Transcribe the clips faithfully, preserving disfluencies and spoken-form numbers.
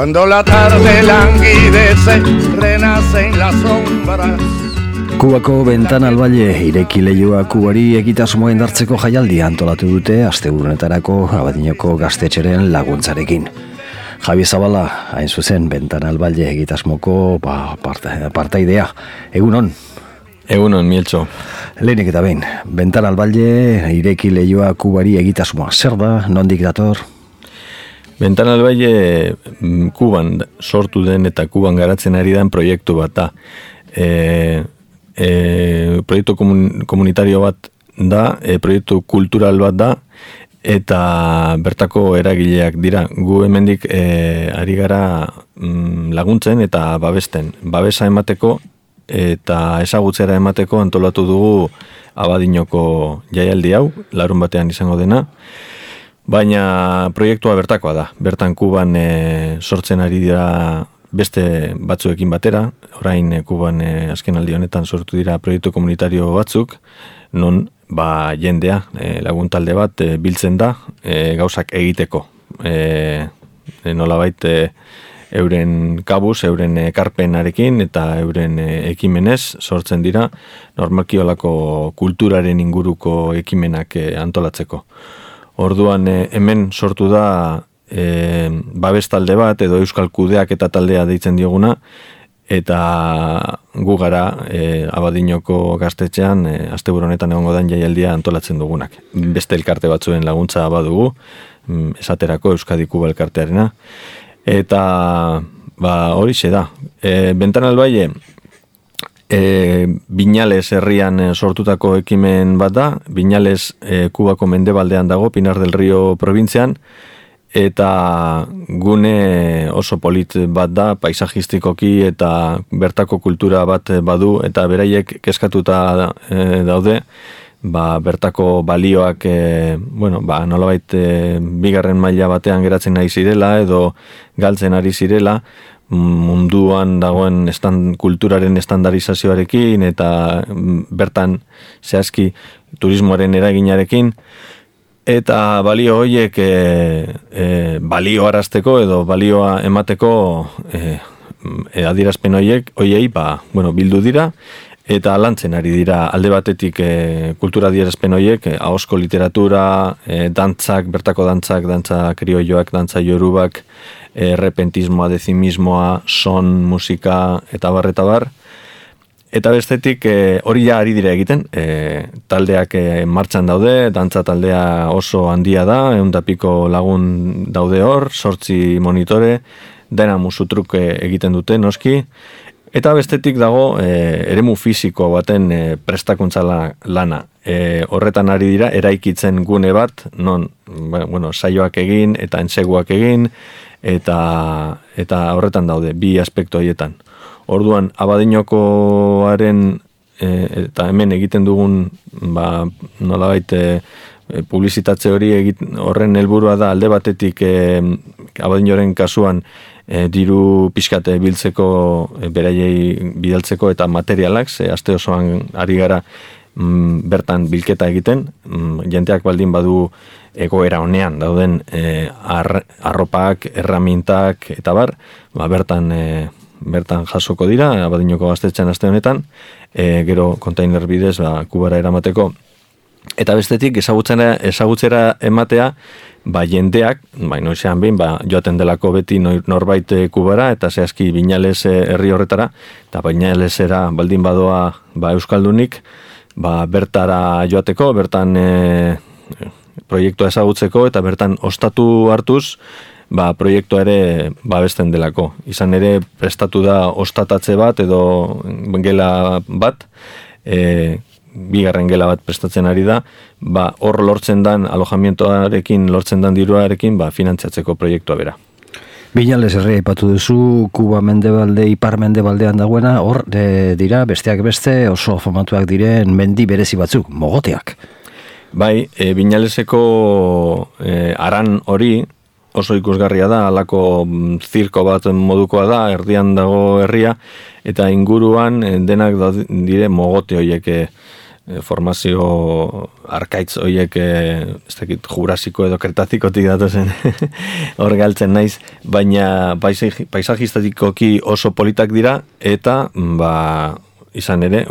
Cuando la tarde languidece, renace en las sombras. Kubako Ventana al Valle ireki leihoa Kubari egitasmoa indartzeko jaialdia antolatu dute asteburunetarako Abadinoko gaztetxeren laguntzarekin. Javi Zabala, hain zuzen, Ventana al Valle egitasmoko ba, partaidea. Egunon? Egunon, Mieltxo. Lehenik eta behin, Ventana al Valle ireki leihoa Kubari egitasmoa. Zer da, nondik dator? Ventana al Valle Kuban sortu den eta Kuban garatzen ari den proiektu bat da. E, e, proiektu komun, komunitario bat da, e, proiektu kultural bat da, eta bertako eragileak dira. Gu hemendik e, ari gara mm, laguntzen eta babesten. Babesa emateko eta ezagutzera emateko antolatu dugu Abadinoko jaialdi hau, larun batean izango dena. Baina proiektua bertakoa da. Bertan Kuban e, sortzen ari dira beste batzuekin batera. Orain e, Kuban e, azken aldi honetan sortu dira proiektu komunitario batzuk, non ba, jendea, e, laguntalde bat e, biltzen da e, gauzak egiteko. E, e, nolabait e, euren kabuz, euren ekarpenarekin eta euren e, ekimenez sortzen dira normalki holako kulturaren inguruko ekimenak e, antolatzeko. Orduan e, hemen sortu da e, babes talde bat edo euskal kudeak eta taldea deitzen dioguna, eta gu gara e, Abadinoko gaztetxean e, asteburu honetan egongo den jaialdia antolatzen dugunak. Beste elkarte batzuen laguntza badugu, esaterako Euskadi Kuba elkartearena, eta ba, horixe da. E, Ventana al Valle E, Viñales herrian sortutako ekimen bat da. Viñales e, Kubako mendebaldean dago, Pinar del Rio probintzian, eta gune oso polit bat da, paisajistikoki eta bertako kultura bat badu, eta beraiek kezkatuta e, daude, ba, bertako balioak e, bueno, ba, nolabait e, bigarren maila batean geratzen nahi zirela edo galtzen ari zirela, munduan dagoen estan, kulturaren estandarizazioarekin eta bertan zehazki turismoaren eraginarekin, eta balio horiek e, e, balio arazteko edo balioa emateko e, e, adierazpen horiek horiei ba, bueno, bildu dira eta lantzen ari dira alde batetik e, kultura adierazpen horiek, e, ahozko literatura, e, dantzak, bertako dantzak, dantza krioioak, dantza yorubak, errepentismoa, dezimismoa, son, musika, eta bar, eta bar. Eta bestetik hori ja ari dira egiten, e, taldeak e, martxan daude, dantza taldea oso handia da, ehun eta piko lagun daude hor, sortzi monitore, dena musutruk egiten dute, noski, eta bestetik dago e, eremu fisiko baten e, prestakuntza lana. E, horretan ari dira, eraikitzen gune bat, non, bueno, saioak egin, eta entseguak egin, eta eta horretan daude bi aspektu horietan. Orduan Abadinokoaren e, eta hemen egiten dugun ba nolabait e, publizitatze hori egit, horren helburua da alde batetik e, Abadinoren kasuan e, diru pixkate biltzeko e, beraiei bidaltzeko eta materialak, ze aste osoan ari gara mm, bertan bilketa egiten, mm, jenteak baldin badu egoera honean dauden e, ar, arropak, erramintak eta bar, ba, bertan e, bertan jasoko dira Abadinoko gaztetxean aste honetan, e, gero kontainer bidez ba, Kubara eramateko, eta bestetik ezagutzera, ezagutzera ematea ba, jendeak, ba, noizean behin ba, joaten delako beti norbait Kubara eta zehazki Viñales herri horretara, eta Viñalesera baldin badoa ba, euskaldunik ba, bertara joateko, bertan e, proiektua ezagutzeko eta bertan ostatu hartuz ba, proiektua ere babesten delako. Izan ere prestatu da ostatatze bat edo gela bat, e, bigarren gela bat prestatzen ari da, ba, hor lortzen dan alojamientoarekin, lortzen dan diruarekin ba, finantziatzeko proiektua bera. Viñales herria aipatu duzu, Kuba mendebalde, ipar mendebaldean dagoena, hor de, dira besteak beste oso famatuak diren mendi berezi batzuk, mogoteak. Bai, e, Viñaleseko e, aran hori oso ikusgarria da, halako zirko bat modukoa da, erdian dago herria, eta inguruan e, denak da, dire mogote horiek e, formazio arkaitz horiek ez dakit jurasiko edo kretazikotik datozen hor galtzen naiz, baina paisajistatikoki oso politak dira eta ba izan ere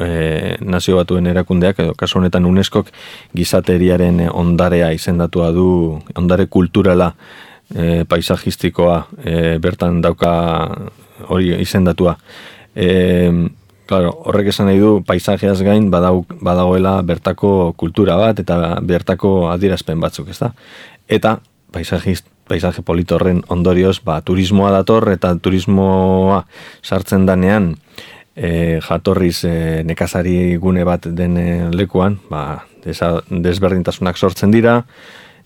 e, nazio batuen erakundeak edo kasu honetan UNESCOk gizateriaren ondarea izendatua du, ondare kulturala e, paisajistikoa e, bertan dauka hori izendatua. E, claro, horrek esan nahi du paisajeaz gain badau, badagoela bertako kultura bat eta bertako adierazpen batzuk, ezta? Eta paisajist paisaje polito horren ondorioz, ba, turismoa dator eta turismoa sartzen danean E, jatorriz e, nekazari gune bat den e, lekuan, ba, desa, desberdintasunak sortzen dira,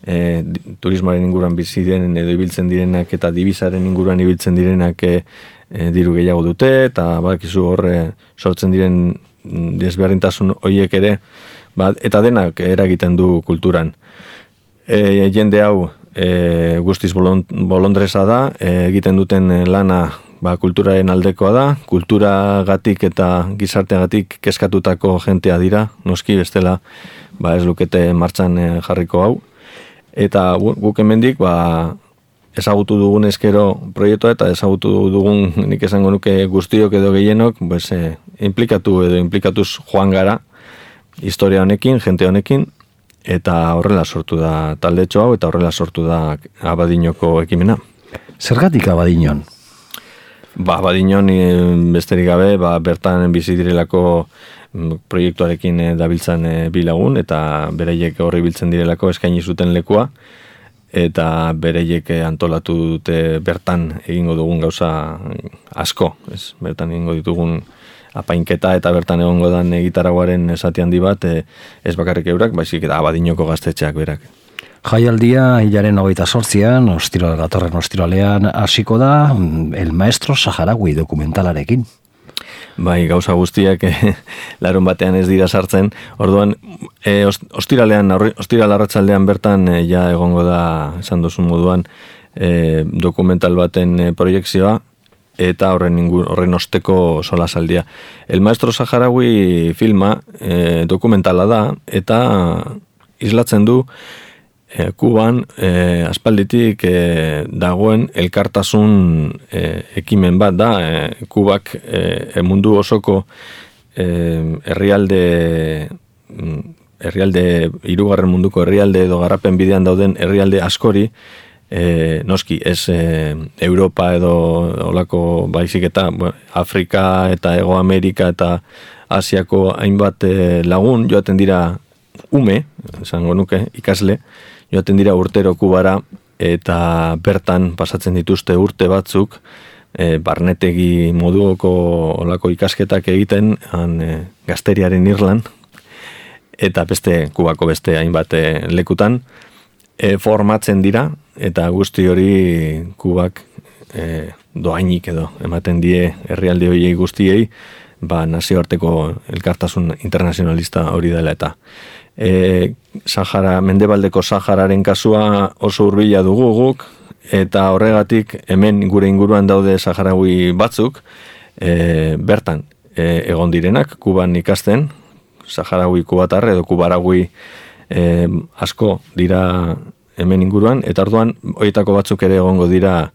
e, turismoaren inguruan bizi diren edo ibiltzen direnak eta dibizaren inguruan ibiltzen direnak e, e, diru gehiago dute, eta bakizu horre sortzen diren desberdintasun horiek ere, ba, eta denak eragiten du kulturan. E, jende hau e, guztiz bolondresa da, e, egiten duten lana ba, kulturaren aldekoa da, kulturagatik eta gizarteagatik kezkatutako jentea dira, noski bestela ba, ez lukete martxan jarriko hau. Eta guk hemendik ba, ezagutu dugun eskero proiektua eta ezagutu dugun nik esango nuke guztiok edo gehienok pues, eh, implikatu edo implikatuz joan gara historia honekin, jente honekin, eta horrela sortu da taldetxo hau eta horrela sortu da Abadiñoko ekimena. Zergatik Abadiñon? Ba, Abadiñon besterik gabe, ba, bertan bizi direlako proiektuarekin dabiltzan bilagun, eta bereiek horri biltzen direlako eskaini zuten lekua, eta bereiek antolatu dute bertan egingo dugun gauza asko, ez? Bertan egingo ditugun apainketa eta bertan egongo dan gitarragoaren esati handi bat, ez bakarrik eurak, baizik eta Abadiñoko gaztetxeak berak. Jaialdia hilaren hogeita sortzian, ostiral gatorren ostiralean hasiko da El Maestro Saharaui dokumentalarekin. Bai, gauza guztiak eh, larun batean ez dira sartzen. Orduan, eh, ostiralean, ostiral arratsaldean bertan eh, ja egongo da, esan duzun moduan, eh, dokumental baten eh, proiekzioa, eta horren ingur, horren osteko solasaldia. El Maestro Saharaui filma eh, dokumentala da, eta islatzen du E, Kuban e, aspalditik e, dagoen elkartasun e, ekimen bat da. E, Kubak e, mundu osoko e, herrialde herrialde hirugarren munduko herrialde edo garapen bidean dauden herrialde askori e, noski ez e, Europa edo olako baizik eta bueno, Afrika eta Hego Amerika eta Asiako hainbat e, lagun joaten dira ume, esango nuke, ikasle, joaten dira urtero Kubara eta bertan pasatzen dituzte urte batzuk e, barnetegi moduoko olako ikasketak egiten han, e, gazteriaren Irlan eta beste Kubako beste hainbat e, lekutan e, formatzen dira eta guzti hori Kubak e, doainik edo ematen die herrialde horiei guztiei ba, nazioarteko elkartasun internazionalista hori dela eta E, Sahara, Mendebaldeko Sahararen kasua oso hurbila dugu guk, eta horregatik hemen gure inguruan daude saharaui batzuk, e, bertan e, egon direnak, Kuban ikasten, saharaui kubatar edo kubaragui e, asko dira hemen inguruan, eta orduan horietako batzuk ere egongo dira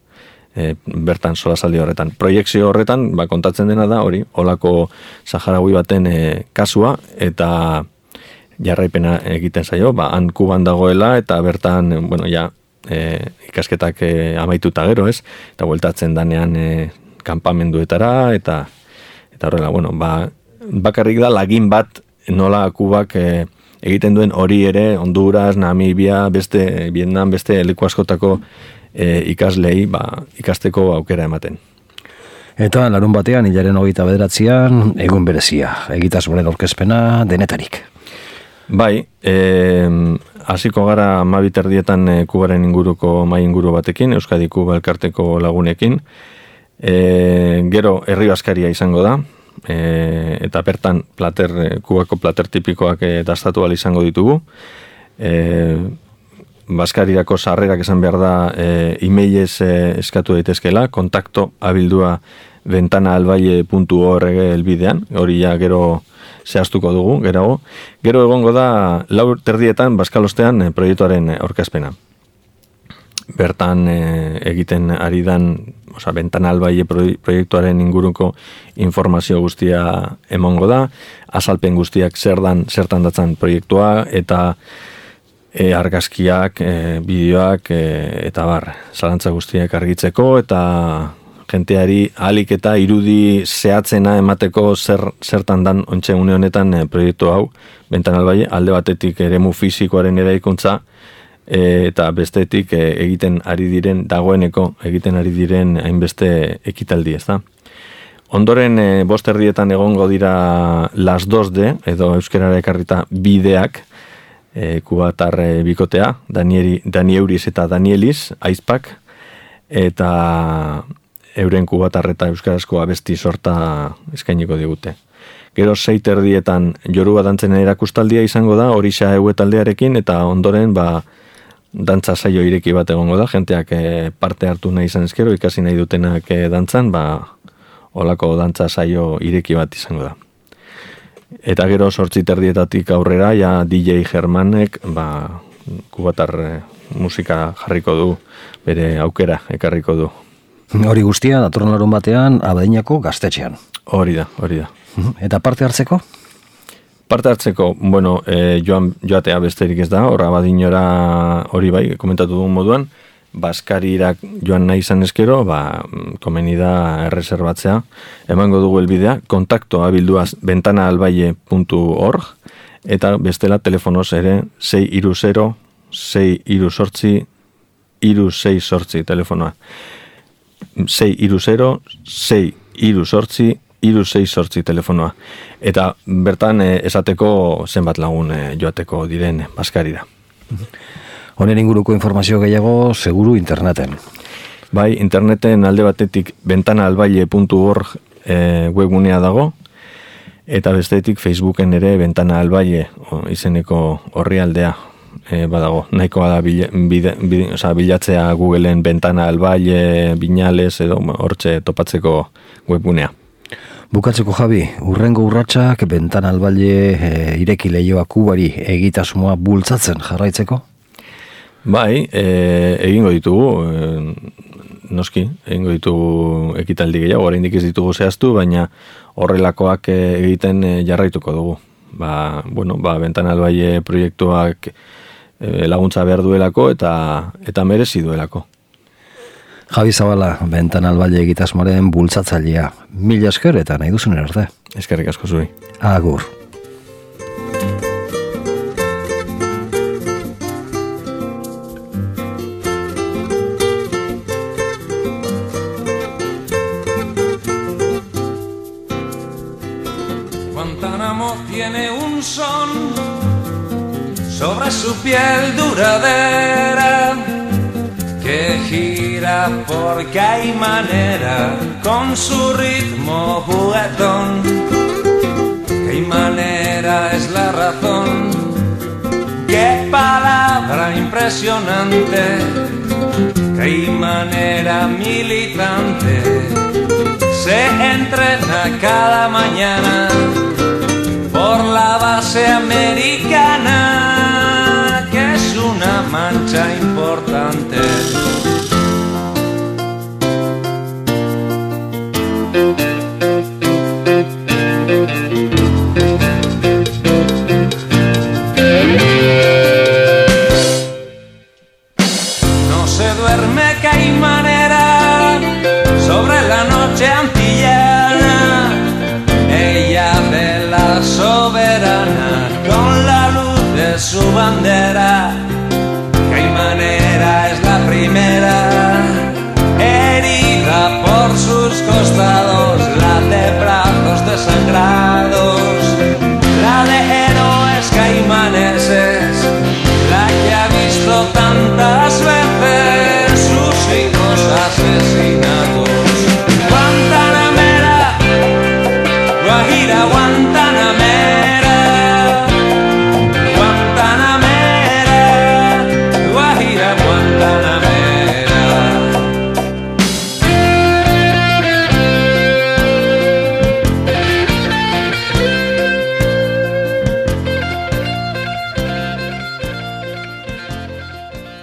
e, bertan solasaldi horretan. Proiekzio horretan, ba, kontatzen dena da, hori, holako saharaui baten e, kasua, eta jarraipena egiten zaio, ba, han Kuban dagoela, eta bertan, bueno, ja, e, ikasketak e, amaituta gero, ez? Eta bueltatzen danean e, kanpamenduetara, eta eta horrela, bueno, ba, bakarrik da lagin bat nola Kubak e, egiten duen hori ere, Honduras, Namibia, beste, Vietnam, beste leku askotako e, ikaslei, ba, ikasteko aukera ematen. Eta larun batean, hilaren hogeita bederatzian, egun berezia, egitasmoren aurkezpena denetarik. Bai, eh, hasiko gara mabiterdietan e, Kubaren inguruko mai inguru batekin, Euskadi Kuba elkarteko lagunekin. E, gero herri askaria izango da, e, eta bertan plater, Kubako plater tipikoak e, dastatu ahal izango ditugu. E, Baskarirako sarrerak esan behar da e, e-mailez e, eskatu daitezkela, kontakto abildua ventanaalbaile puntu org elbidean, hori ja gero zehaztuko dugu, gerago. Gero egongo da lau terdietan Bazkalostean e, proiektuaren aurkezpena. Bertan e, egiten ari dan, oza, Ventana al Valle proiektuaren inguruko informazio guztia emongo da, azalpen guztiak zer dan, zertan datzan proiektua, eta E, argazkiak, e, bideoak, e, eta bar, zalantza guztiak argitzeko, eta jenteari ahalik eta irudi zehatzena emateko zer, zertan dan ontxe une honetan e, proiektu hau, Ventana al Valle, alde batetik eremu fisikoaren eraikuntza, e, eta bestetik e, egiten ari diren, dagoeneko egiten ari diren hainbeste ekitaldi, ez da? Ondoren, e, bost erdietan egongo dira las dos D, edo euskerara ekarrita bideak, E, kubatar e, bikotea, Danieli, Dani Euriz eta Danielis, aizpak, eta euren kubatar eta euskarazko abesti sorta eskainiko digute. Gero sei terdietan Yoruba dantzen erakustaldia izango da, Orisa Eue taldearekin, eta ondoren ba, dantza saio ireki bat egongo da, jenteak e, parte hartu nahi izan ezkero, ikasi nahi dutenak e, dantzan, ba, olako dantza saio ireki bat izango da. Eta gero sortzi terdietatik aurrera, ja D J Germanek, ba, kubatar e, musika jarriko du, bere aukera ekarriko du. Hori guztia, datorren larun batean, Abadiñako gaztetxean. Hori da, hori da. Eta parte hartzeko? Parte hartzeko, bueno, e, joan, joatea besterik ez da, hor Abadiñora hori bai, komentatu dugun moduan, Baskarirak joan nahi izan eskero, ba, komeni da erreserbatzea. Emango dugu elbidea, kontakto abilduaz ventana al valle puntu org, eta bestela telefonoz ere sei hiru zero, sei hiru zortzi, hiru sei zortzi telefonoa. sei hiru zero, sei hiru zortzi, hiru sei zortzi telefonoa. Eta bertan eh, esateko zenbat lagun eh, joateko diren Baskarira. Honen inguruko informazio gehiago seguru interneten. Bai, interneten alde batetik ventana al valle puntu org e, webgunea dago, eta bestetik Facebooken ere Ventana al Valle izeneko orrialdea e, badago. Nahikoa da bile, bide, bide, oza, bilatzea Googleen Ventana al Valle, Viñales edo hortxe topatzeko webgunea. Bukatzeko Javi, urrengo urratsak Ventana al Valle e, ireki lehioa Kubari egitasmoa bultzatzen jarraitzeko? Bai, e, egingo ditugu, e, noski, egingo ditugu ekitaldi gehiago, oraindik ez ditugu zehaztu, baina horrelakoak egiten jarraituko dugu. Ba, bueno, ba, Ventana al Valle proiektuak e, laguntza behar duelako eta eta merezi duelako. Javi Zabala, Ventana al Valle egitasmoaren bultzatzailea. Mila esker eta nahi duzun arte. Eskerrik asko zuri. Agur. Tiene un son sobre su piel duradera que gira porque hay manera con su ritmo juguetón. Qué manera es la razón, qué palabra impresionante, qué manera militante se entrena cada mañana por la base americana, que es una mancha importante. No se duerme que hay manera sobre la noche antillana, ella de la soberana con la luz de su bandera. Qué manera es la primera